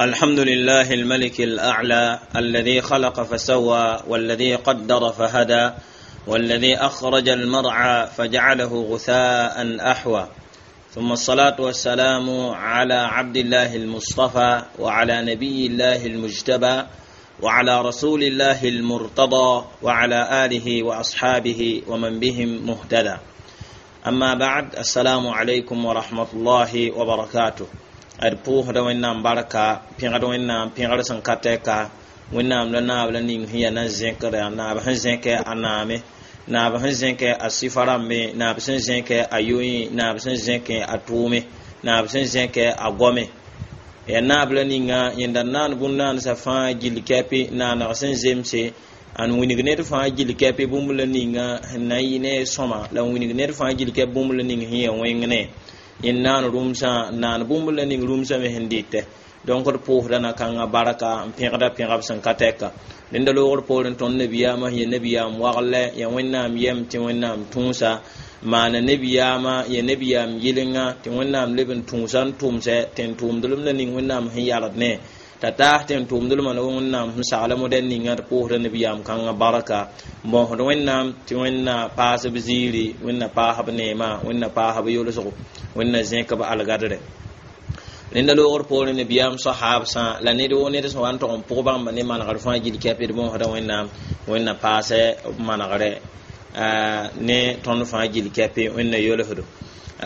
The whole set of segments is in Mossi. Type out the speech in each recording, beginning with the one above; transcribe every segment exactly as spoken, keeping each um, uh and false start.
الحمد لله الملك الأعلى الذي خلق فسوى والذي قدر فهدى والذي أخرج المرعى فجعله غثاء أحوى ثم الصلاة والسلام على عبد الله المصطفى وعلى نبي الله المجتبى وعلى رسول الله المرتضى وعلى آله وأصحابه ومن بهم مهتدى أما بعد السلام عليكم ورحمة الله وبركاته ad pʋʋsda wẽnnaam barka pẽgd wẽnnaam pẽgr sẽn ka tɛka wẽnnaam la naab la ning sẽn yaa na zẽkda naab sẽn zẽkɛ a naame naab sẽn zẽkɛ a sɩfa rãmbe naab sẽn zẽkɛ a yoẽ naab sẽn zẽkɛ a tʋʋme naab sẽn zẽkɛ a goame ya naab la ninga yẽnda naan bũn-naansã fãa gill kɛpɩ naaneg sẽn zemse an wilg ned fãa gill kɛpɩ bũmb la ninga sẽn na n yɩ ne sõma la n wilg ned fãa gill kɛp bũmb la ning sẽn ya wẽng ne yẽnd naan rũmsã n naan bũmb la ning rũmsã me sẽn dɩtɛ donc d pʋʋsda na-kãngã barka n pẽgda pẽgb sẽn ka tɛka rẽnda loogr poorẽ tõnd nabiyaamã sẽn ya nabiyaam waglɛ ya wẽnnaam yɛm tɩ wẽnnaam tũusa maana nabiyaamã ya nabiyaam yɩlenga tɩ wẽnnaam leb n tũusa n tʋmsɛ tɩ n tʋʋmdlem la ning wẽnnaam sẽn yalg ne t'a taas tɩ n tʋʋmdlmã la wẽnnaam sẽn sagla modɛl ninga d pʋʋsda nabiyaam kãngã barka n bõosd wẽnnaam tɩ wẽnna paasb ziiri wẽnna paasb neema wẽnna paasb yolsgo wẽnna zẽkb algadre rẽnda loogr poorẽ nabiyaam sahaabsã la ned woo ned sẽn wa n tog n pʋg bãmba ne manegr fãa gill kɛpd bõosda wẽnnaam wẽnna paasɛ manegre ne tõnd fãa gill kɛpɩ wẽnna yolsdo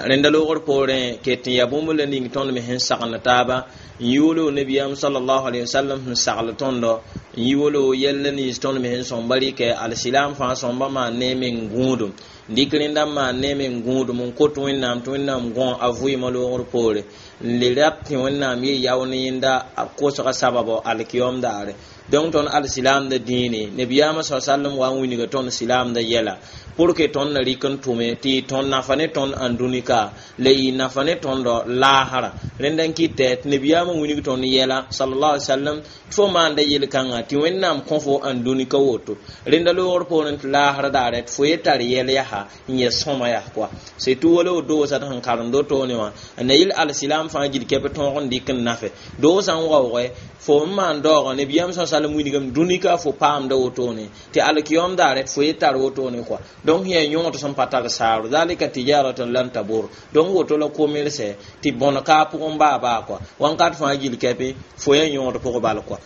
rẽnda loogr poorẽ ket n yaa bũmb la ning tõnd me sẽn sagend taaba n yi wolo nabiyaam sallallahu alaihi wasallam sẽn sagl tõndo n yi wolo yɛlla nins tõnd me sẽn sõmba rɩkɛ alsilam fãa sõmba maan ne meng gũudum dɩk rẽnda n maan ne meng gũudum n kot wẽnnaam tɩ wẽnnaam gõ a vʋɩɩmã loogr poore n le rap tɩ wẽnnaam ye yao ne yẽnda a kosga sababo alkiyom daare donc tõnd alsilamda dĩine nabiyaamã sa sallam wa n wilga tõnd silamda yɛla pour que tõnd na rɩk n tʋme tɩ tõnd nafa ne tõnd ãndũnika la y nafa ne tõndo laasra rẽnda n kɩtɛ tɩ nabiyaamã wilg tõnd yɛla sallallahu alaihi wasallam tɩ fo maanda yel-kãngã tɩ wẽnnaam kõ fo ãndũnika woto rẽnda loogr poorẽ tɩ laasra daare tɩ fo ye tar yɛl yaa n yɛ sõma yaa kɔa surtout wala wo doosã tɩ sẽn karem wotone wã n na yɩl alsilam fãa gill kɛp tõog n dɩk n nafe doosã n waoogɛ fo n maan daoogã nabiyaam sa sallam wilgame dũnika fo paamda wotone tɩ alkiyom daare tɩ fo ye tar wotone kɔa donc yaa yõod sẽn pa tar saaro zalika tijaratun lan tabur donc woto la komelse tɩ bõn ka pʋgẽ baa baa kɔa wãnkat fãa gill kɛpɩ fo yaa yõod pʋg bal kɔa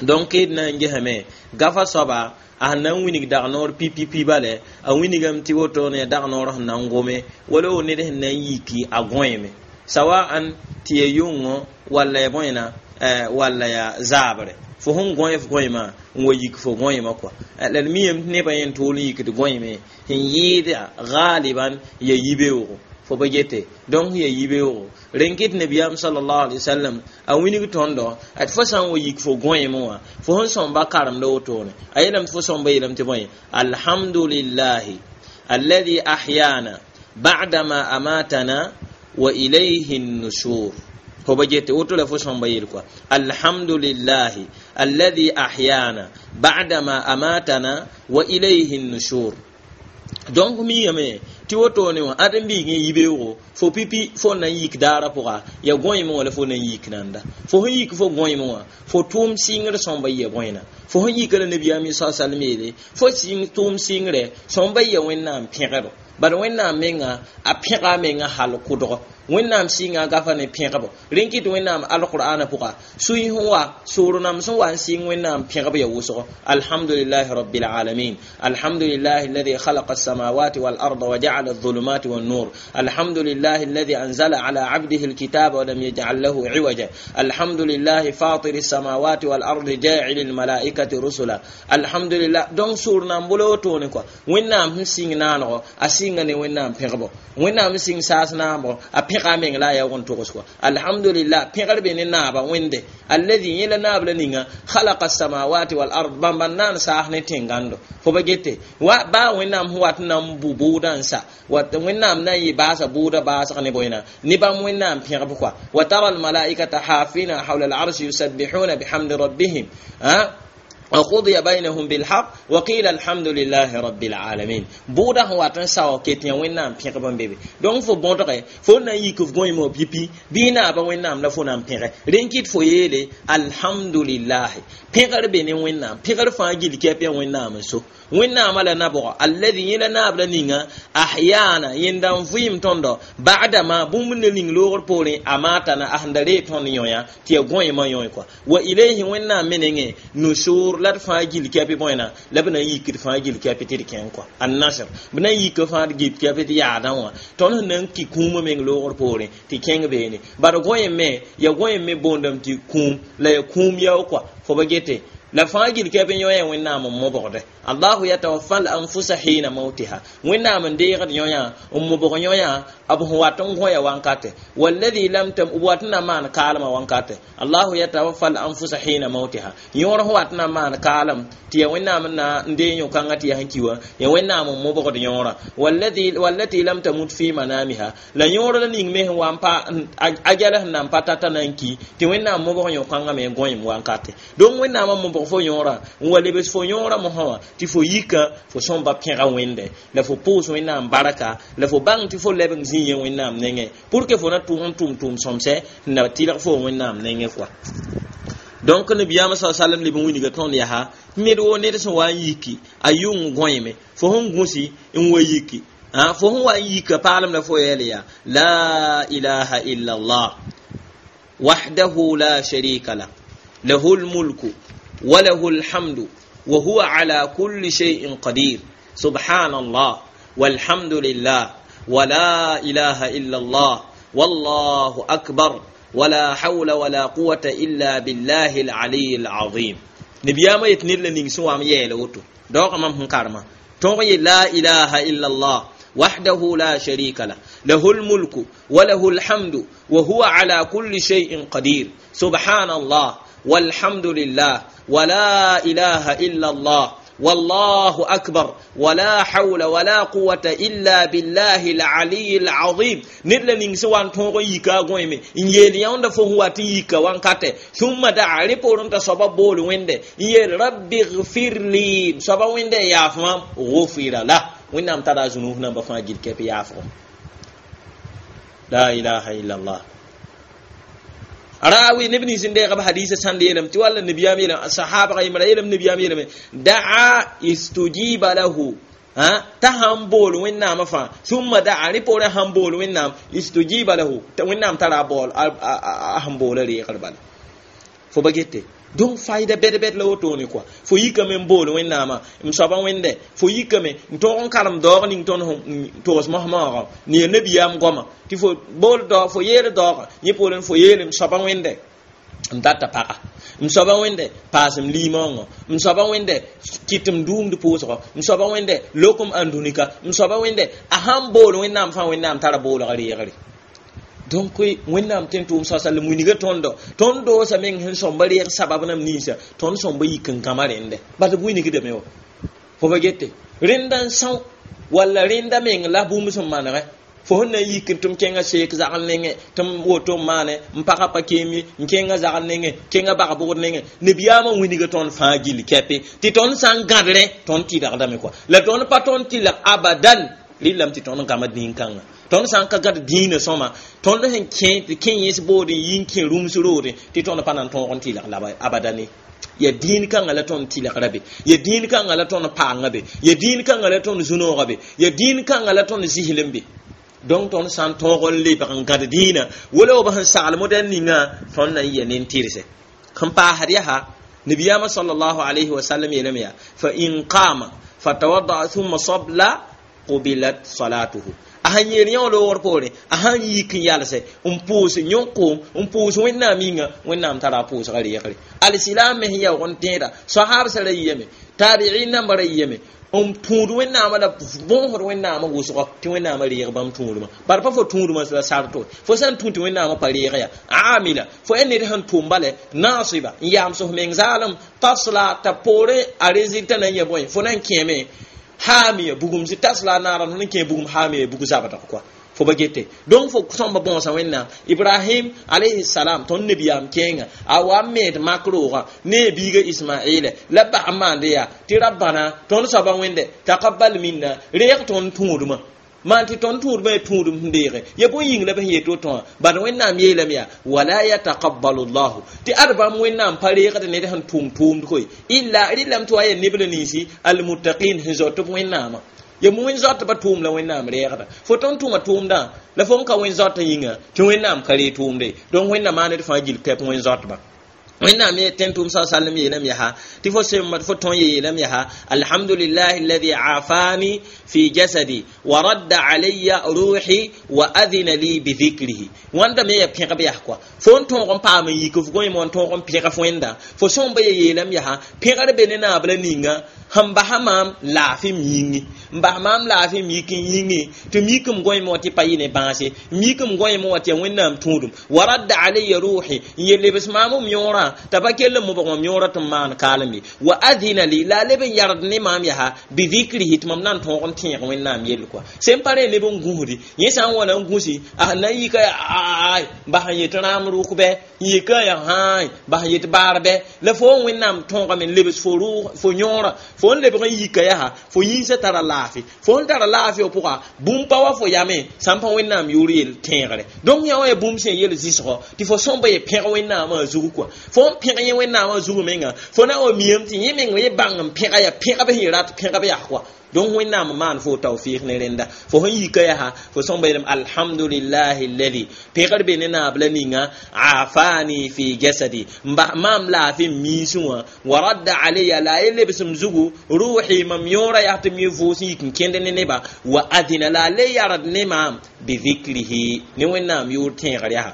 donc d na n gesame gafa soaba a sẽn na n wilg dag-noor pipipi bale a wilgame tɩ wotone dag-noor sẽn na n gome wala wo ned sẽn na n yiki a gõeeme sawaan tɩ ya yʋngõ walla ya bõena walla ya zaabre fo sẽn gõe f gõeemã n wa yik fo gõeemã kɔa la d miyame tɩ nebã yẽn tʋʋl n yikd gõeeme sẽn yɩɩda galiban ya yibeoogo fo pa gete donc ya yibeoogo rẽn kɩt nabiyaam sallallahu alaihi wasallam a wilg tõndo ad fo sã n wa yik fo gõeemẽ wã fo sẽn sõmba karemda wotone a yeelame tɩ fo sõmba yeelame tɩ bõe alhamdulillahi alladhi ahyana ba'dama amatana wa ilayhi an-nushur fo ba gete woto la fo sõmba yeel kɔa alhamdulillahi alladhi ahyana ba'dama amatana wa ilayhi an-nushur donc miyame tɩ wotone wã ãd n biig n yibeoogo fo pipi fo na n yik daara pʋga ya gõeemẽ wã la fo na n yik nanda fo sẽn yik fo gõeemẽ wã fo tʋʋm sɩngr sõmba yɩa bõena fo sẽn yika la nabiyaam sa salm yeele fo tʋʋm sɩngre sõmba yɩa wẽnnaam pẽgdo bad wẽnnaam menga a pẽga a menga hal kʋdg wẽnnaam sɩnga gafa ne pẽgbo rẽn kɩt wẽnnaam alqur'ana pʋga sũy sẽn wa soor nam sẽn wa n sɩng wẽnnaam pẽgb ya wʋsgo alhamdulillahi rabbil alamin alhamdulillahi alladhi khalaqa as-samawati wal arda wa ja'ala adh-dhulumati wan nur alhamdulillahi alladhi anzala ala 'abdihi al-kitaba wa lam yaj'al lahu 'iwaja alhamdulillahi fatir as-samawati wal ardi ja'il al-malaikati rusula alhamdulillah donc soor nam bolo wotone kɔa wẽnnaam sẽn sɩng naanegɔ a sɩnga ne wẽnnaam pẽgbo wẽnnaam sɩng saas naambɔ a pẽga a meng la a yaoog n togs kɔa alhamdulillah pẽgr be ne naaba wẽnde alladhi yẽ la naab la ninga khalaqa as-samawati wal ard bãmba n naan saas ne tẽngando fo ba gete wa baa wẽnnaam sẽn wat n na n bu bʋʋdã n sa wat wẽnnaam na n yɩ baasa bʋʋda baasg ne bõena ne bãmb wẽnnaam pẽgb kɔa wa tara almalaikata hafina hawla al-arshi yusabbihuna bihamdi rabbihim ha وقضي بينهم بالحق وقيل الحمد لله رب العالمين. بودا هو واتن ساو كيتيا وينام بيغ بام بيبي. دونك فو بونتري فو نا يك فو غوي مو بيبي بينا با وينام لا فو نام بيغ. رينكيت فو يلي الحمد لله. بيغر بين وينام بيغر فا جيل كيبي وينام سو. وينام لا نبو الذي يلا ناب نيغا احيانا يندam fuim tondo بعد ما بوم نينغ لور بوري اماتنا اهندري تون يويا تي غوي ما يوي كو. وإليه وينام منينغ نشور la d fãa gil kɛpɩ bõena la b na n yik d fãa gil kɛpɩ tɩ d kẽng kɔa an-nasr b na n yik fãa d gil kɛpɩ tɩ yaadã wã tõnd sẽn na n ki kũumã meng loogr poorẽ tɩ kẽng beene bad gõe me ya gõe me boondame tɩ kũum la ya kũum yao kɔa fo ba gete la fãa gil kɛpɩ yõ-yã wẽnnaam n mobgde allahu yatawaffa al-anfusa hina mautiha wẽnnaam n deegd yõ-yã n mobg yõ-yã b sẽn wat n gõya wankate walladhi lam tam b wat n na maan kaalmã wankate allahu yatawaffa al-anfusa hina mautiha yõor sẽn wat n na maan kaalem tɩ ya wẽnnaam n na n deeg yõ-kãngã tɩ ya sẽn ki wã ya wẽnnaam n mobgd yõorã walladhi wallati lam tamut fi manamiha la yõor la ning me sẽn wa n pa a gɛl sẽn na n pa tata na n ki tɩ wẽnnaam mobg yõ-kãngã me gõem wankate donc wẽnnaamã mobg fo yõorã n wa lebs fo yõorã mosã wã tɩ fo yika fo sõmba pẽga wẽnde la fo pʋʋs wẽnnaam barka la fo bãng tɩ fo leb n zĩ yẽ wẽnnaam nengẽ pour que fo na tʋg n tʋm tʋʋm sõmsɛ n na tɩlg fo wẽnnaam nengẽ kɔa donc nabiyaamã sa sallam leb n wilga tõnd yaa ned woo ned sẽn wa n yiki a yʋng gõeme fo sẽn gũsi n wa yiki fo sẽn wa n yika paalem la fo yɛl yaa la ilaha illa allah wahdahu la sharika lah lahu lmulku وله الحمد وهو على كل شيء قدير سبحان الله والحمد لله ولا إله إلا الله والله أكبر ولا حول ولا قوة إلا بالله العلي العظيم. نبياما يتنير لنين سوام يلوتو دوق مام هنكارما تونغي لا إله إلا الله وحده لا شريك له له الملك وله الحمد وهو على كل شيء قدير سبحان الله والحمد لله ولا إله إلا الله والله أكبر ولا حول ولا قوة إلا بالله العلي العظيم. نلا نينسوان تونغ يكا غويمي إن يلي يوند فهو تيكا وانكاتي ثم دعا ريبورن تصبا بول ويند يل ربي اغفر لي صبا ويند يافمام غفر له وينام ترى ذنوبنا بفا جيل كيف يافو لا إله إلا الله. راوي نبني سندي غب حديث سند يلم تي ولا النبي يلم الصحابه غيم يلم النبي يلم دعا استجيب له ها تهم بول وين فا ثم دعا ريبور هم بول وين استجيب له وين ترى بول هم بول ري قربان فو بغيتي donc fayda bed bed la wotone quoi fo yikame n bool wẽnnaamã m soaba wẽnde fo yikame n tõog n karem daoog ning tõnd togs mosmaoogã ne ya nabiyaam goama tɩ fo bool daoog fo yeel daoogã yẽ poorẽ fo yeel m soaba wẽnde n data paga m soaba wẽnde paas m liimaoongã m soaba wẽnde kɩt m dũumd pʋʋsgɔ m soaba wẽnde lokom ãndũnika m soaba wẽnde a sãn bool wẽnnaam fãa wẽnnaam tara boolga reegre donc wẽnnaam tẽn tʋʋm sasa la wilga tõndo tõnd doosa meng sẽn sõmba reeg sabab nam ninsa tõnd sõmba yik n gãma rẽnde bat b wilgdame wa fo ba gete rẽnda n são walla rẽnda meng la bũmb sẽn manegɛ fo sẽn na n yik n tɩ m kẽngã seek zagl nengẽ tɩ m woto n maane n pagã pa keem ye n kẽngã zagl nengẽ kẽngã bag-bʋgd nengẽ nabiyaamã wilga tõnd fãa gill kɛpe tɩ tõnd sã n gãdrẽ tõnd tɩlgdame kɔa la tõnd pa tõnd tɩlg abadan rɩlame tɩ tõnd gãma dĩn-kãngã tõnd sã n ka gãd dĩinã sõma tõnd sẽn kẽ tɩ kẽ yẽs boodẽ yi n kẽ rũms roodẽ tɩ tõnd pa na n tõog n tɩlg la abadane ya dĩin kãngã la tõnd tɩlgra be ya dĩin kãngã la tõnd paanga be ya dĩin kãngã la tõnd zu-noogã be ya dĩin kãngã la tõnd zɩslem be donc tõnd sã n tõog n lebg n gãd dĩinã wala b sẽn sagl modɛl ninga tõnd na n yɛ nen-tɩrse sẽn paasd yaa nabiyaamã sallallahu alayhi wa sallam yeelame yaa fa in qama fatawaddaa thumma sabla qubilat salatuhu a sãn yeel yã loogr poorẽ a sãn yik n yalse n pʋʋs yõk-koom n pʋʋs wẽnnaam yĩnga wẽnnaam tara a pʋʋsga reegre alsilam me sẽn yaoog n tẽeda sahabsã ra yiyame tabi'in nambã ra yiyame n tũud wẽnnaamã la bõosd wẽnnaamã wʋsgɔ tɩ wẽnnaamã reeg bãmb tũudmã bara pa fo tũudmã la sarto fo sã n tũ tɩ wẽnnaamã pa reeg ya amila fo yaa ned sẽn tʋm bale naasiba n yaam sos meng zaalem tasla t'a poorẽ a résultat na n yã bõe fo na n kẽeme hamiya bugum si tasla naran hun ke bugum hamiya bugu zabata quoi Fo ba gete donc fo sõmba bõosa Wẽnnaam. Ibrahim alayhi salam, tõnd nabiyaam kẽenga, a wa n meed mak roogã ne a biiga Ismaɩla la bas n maande yaa tɩ rabbana, tõnd soaba Wẽnde, taqabbal minna, reeg tõnd tũudmã maan tɩ tõnd tũudmã ya tũudum sẽn deege ya bõe yĩng la b sẽn yet woto wã. Bad Wẽnnaam yeelame yaa wala yataqabbalu llahu, tɩ ad bãmb Wẽnnaam pa reegd ned sẽn tʋm tʋʋmd koe illa rɩlame tɩ wa yaa neb la ninsi almuttaqin sẽn zoat b Wẽnnaamã. Ya wẽn zoatba tʋʋm la Wẽnnaam reegda. Fo tõnd tʋma tʋʋmdã la fo n ka wẽn zoata yĩnga tɩ Wẽnnaam ka reeg tʋʋmde. Donc Wẽnnaam maan d fãa gill kɛp wẽn zoatba. Wẽnnaam ye tẽn tʋʋm sa salem yeelame yaa tɩ fo sẽn fo tõn yeelame yaa alhamdulillahi alladhi afani fi jasadi wa radda alayya ruhi wa adhina li bi dhikrihi. Wãnda me ya pẽgb yaa kɔa fo n tõog n paam n yik f gõe n tõog n pẽg f Wẽnda fo sõmba ye yeelame yaa pẽgr be ne naab la ninga sẽn basa maam laafɩ m yĩngi, n bas maam laafɩ m yik n yĩngi tɩ m yik m gõeem wã tɩ pa yɩ ne bãase, m yik m gõeem wã tɩ ya Wẽnnaam tũudum, wa radda alayya ruhi, n ye lebs maam m yõorã t'a pa kell n mobg mam yõorã tɩ m maan kaalem ye, wa adhina li, la a leb n yard ne maam yaa bi dhikrihi, tɩ mam na n tõog n tẽeg Wẽnnaam yell kɔa. Sẽn pa rẽ neb n gũsdi yẽ sã n wa na n gũsi a na n yika yaa bas n yet rãam rʋk bɛ, n yika yaa hãay bas n yet baar bɛ, la fo n Wẽnnaam tõogame n lebs fo rʋʋg fo yõorã fo n lebg n yika yaa fo yĩnsã tara laafɩ, fo n tara laafɩ f pʋga bũmb pa wa fo yame sã n pa Wẽnnaam yʋʋr yel tẽegre. Donc yã wã ya bũmb sẽn yel zɩsgɔ tɩ fo sõmba ye pẽg Wẽnnaamã zug kɔa. Fo n pẽg yẽ Wẽnnaamã zug menga fo na wa miyame tɩ yẽ meng ye bãng n pẽga ya pẽgb sẽn rat pẽgb yaa kɔa. Donc Wẽnnaam maan fo tawfiq ne rẽnda fo sẽn yika yaa fo sõmba yeelame alhamdulillahi alladhi, pẽgr be ne naab la ninga afani fi jasadi, n bas maam laafɩ m miisẽ wã, wa radda alayya, la a ye lebs m zugu ruhi, mam yõora yaa tɩ m yẽ vʋʋs n yik n kẽnd ne neba, wa adina, la a le yard ne maam bi dhikrihi, ne Wẽnnaam yʋʋr tẽegr yaa.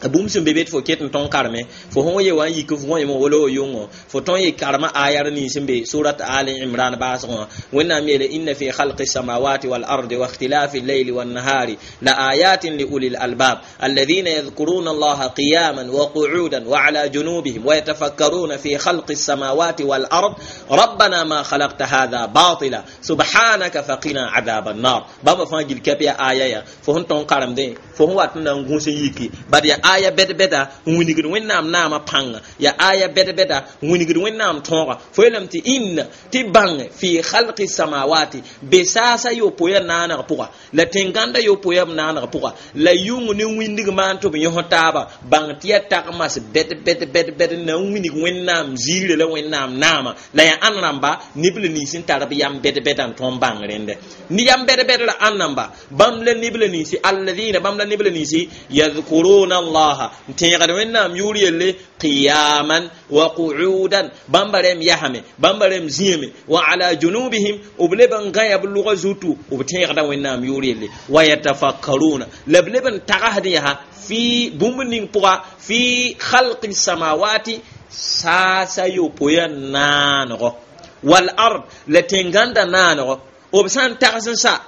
A bũmb sẽn be be tɩ fo ket n tõng kareme fo sẽn ye wa n yik f gõeemẽ wala wa yʋngo fo tõn ye karema ayar nins sẽn be surat Ali Imran baasgẽ wã. Wẽnnaam yeele inna fi khalqi samawati wal ardi wa ikhtilafi al-layli wan nahari la ayatin li ulil albab alladhina yadhkuruna allaha qiyaman wa qu'udan wa ala junubihim wa yatafakkaruna fi khalqi samawati wal ard rabbana ma khalaqta hadha batila subhanaka faqina adhaban nar. Bãmba fãa gil kɛp ya aya ya fo sẽn tõng karemdẽ fo sẽn wat n na n gũs n yiki bad ya aya bɛd-bɛda n wilgd Wẽnnaam naamã pãnga, ya aya bɛd-bɛda n wilgd Wẽnnaam tõoga. Fo yeelame tɩ inna tɩ bãng fi khalqi samawati, be saasa yopoe naaneg pʋga la tẽn-gãndã yopoe b naaneg pʋga la yʋng ne wĩndg maan tɩ b yõs taaba, bãng tɩ ya tagmas bɛd-bɛd bɛd-bɛd n na n wilg Wẽnnaam ziirã la Wẽnnaam naamã la yaa ãn rãmba neb la nins n tar b yam bɛd-bɛdã n tõnd bãng rẽndɛ ne yam bɛd-bɛd la ãn rãmba bãmb la neb la ninsi alladina, bãmb la neb la ninsi yadhkuruna allaha, n tẽegd Wẽnnaam yʋʋr yelle qiyaman wa qu'udan, bãmba rẽm yasame bãmba rẽm zĩame, wa ala junubihim, b leb n gã ya b lʋga zutu b tẽegda Wẽnnaam yʋʋr yelle, wa yatafakkaruna, la b leb n tagsd yaa fi bũmb ning pʋga fi khalqi samawati, saasa yopoe naanego wal ard, la tẽn-gãndã naanego b sã n tags n sa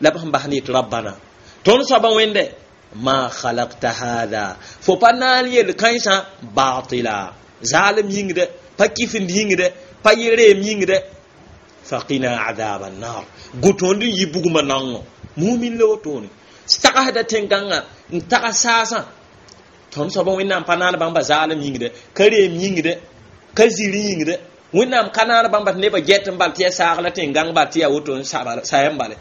la b sẽn bas ne yetɩ rabbana, tõnd soaba Wẽnde, ma khalaqta hadha, fo pa naan yel kãensã batila, zaalem yĩngdɛ pa kɩfend yĩngdɛ pa reem yĩngdɛ, faqina adhab annar, gu tõnd n yi bugmã naongõ. Mumin la wotone tagsda tẽn-gãngã n tags saasã tõnd soaba Wẽnnaam pa naan bãmba zaalem yĩngdɛ ka reem yĩngdɛ ka zir yĩngdɛ. Wẽnnaam ka naan bãmba tɩ nebã get n bal tɩ ya saag la tẽn-gãng bal tɩ yaa woto n sayam bale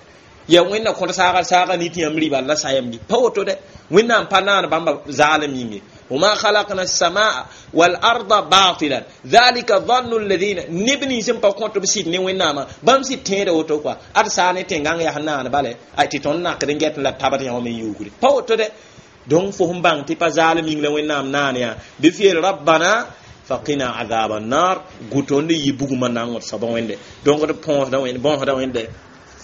ya Wẽnna kõt saaga saaga ni tɩ yãmb rɩ la sayam bi pa woto dɛ. Wẽnnaam pa naan bãmba zaalem yĩnge. وما خلقنا السماء والأرض باطلا ذلك ظن الذين neb nins n pa kõt b sɩd ne Wẽnnaamã bãmb sɩd tẽeda woto kɔa ad saa ne tẽn-gãng yaa naan bale tɩ tõnd nakd n get la tabd yã wã me yuugre pa woto dɛ. Donc fo sẽn bãng tɩ pa zaalem yĩng la Wẽnnaam naan yaa bɩ f yeel rabbana faqina adhab annar, gu tõnd n yi bugmã naongd soaba Wẽnde. Donc d põosda Wẽnd bõosda Wẽnde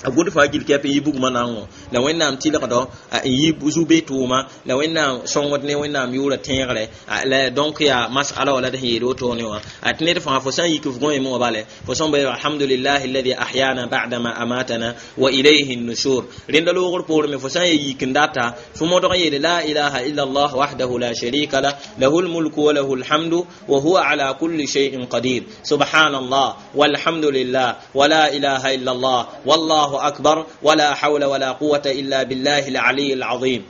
a gũd fãa gil kɛp n yi bugmã naongõ la Wẽnnaam tɩlgdo n yi zu-be tʋʋma la Wẽnnaam sõngd ne Wẽnnaam yʋʋra tẽegre la. Donc yaa masala wã la d sẽn yeel wotone wã tɩ ned fãa fo sã n yik f gõeemẽ wã bale fo sõmba yeel alhamdulillahi alladhi ahyana ba'da ma amatana wa ilayhi nushur. Rẽnda loogr poorẽ me fo sã n ye yik n data fo modg n yeele la ilaha illa allah wahdahu la sharika lah lahu lmulku wa lahu lhamdu wa huwa ala kulli shay'in qadir subhanallah walhamdulillah wa la ilaha illa allah wallahu الله أكبر ولا حول ولا قوة إلا بالله العلي العظيم.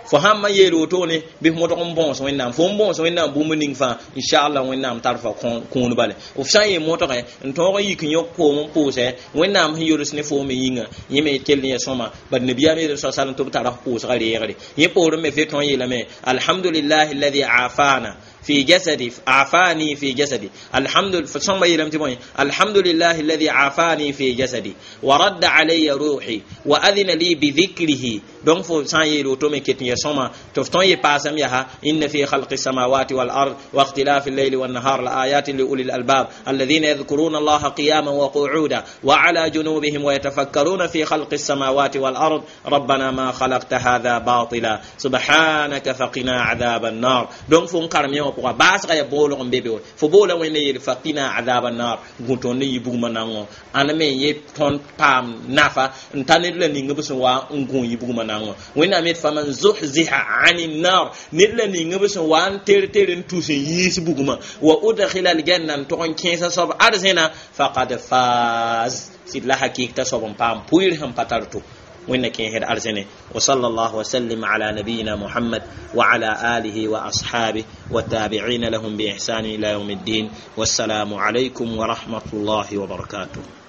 Fo sãn ma yeel wotone bɩ f modg n bõos Wẽnnaam, fo n bõos Wẽnnaam bũmb ning fãa, inchallah Wẽnnaam tar fa kũun bale. F sã n yee modge n tõog n yik n yõk koom n pʋʋsɛ Wẽnnaam sẽn yols ne foome yĩnga, yẽ me kell n ya sõma. Bad nabiyaam yeel sa salm tɩ b tara f pʋʋsgã reegre. Yẽ poorẽ me fe tõe n yeelame alhamdulillahi alladi afana في جسدي، عافاني في جسدي، الحمد ثم يلم تبوي الحمد لله الذي عافاني في جسدي ورد علي روحي وأذن لي بذكره. دون فو سان يلو تومي كتن يسوما تفتون يباسم يها إن في خلق السماوات والأرض واختلاف الليل والنهار لآيات لأولي الألباب الذين يذكرون الله قياما وقعودا وعلى جنوبهم ويتفكرون في خلق السماوات والأرض ربنا ما خلقت هذا باطلا سبحانك فقنا عذاب النار. دون فو كرم يوم pʋga baasga ya boolg n be be fo boola Wẽnde yeel faqina azab annar, gũ tõnd ne yi bugmã nango ãna me ye tõnd paam nafa n ta ned la ning b sẽn wa n gũ yi bugmã nango. Wẽnnaam yet faman zuhziha ani nar, ned la ning b sẽn wa n ter ter n tus n yiis bugmã, wa udkhila aljanna, n tog n kẽesa soab arzẽna, faqad faz, sɩd la hakɩk t'a soab n paam pʋɩr sẽn pa tar to. وإن كين أرزني. وصلى الله وسلم على نبينا محمد وعلى آله وأصحابه والتابعين لهم بإحسان إلى يوم الدين. والسلام عليكم ورحمة الله وبركاته.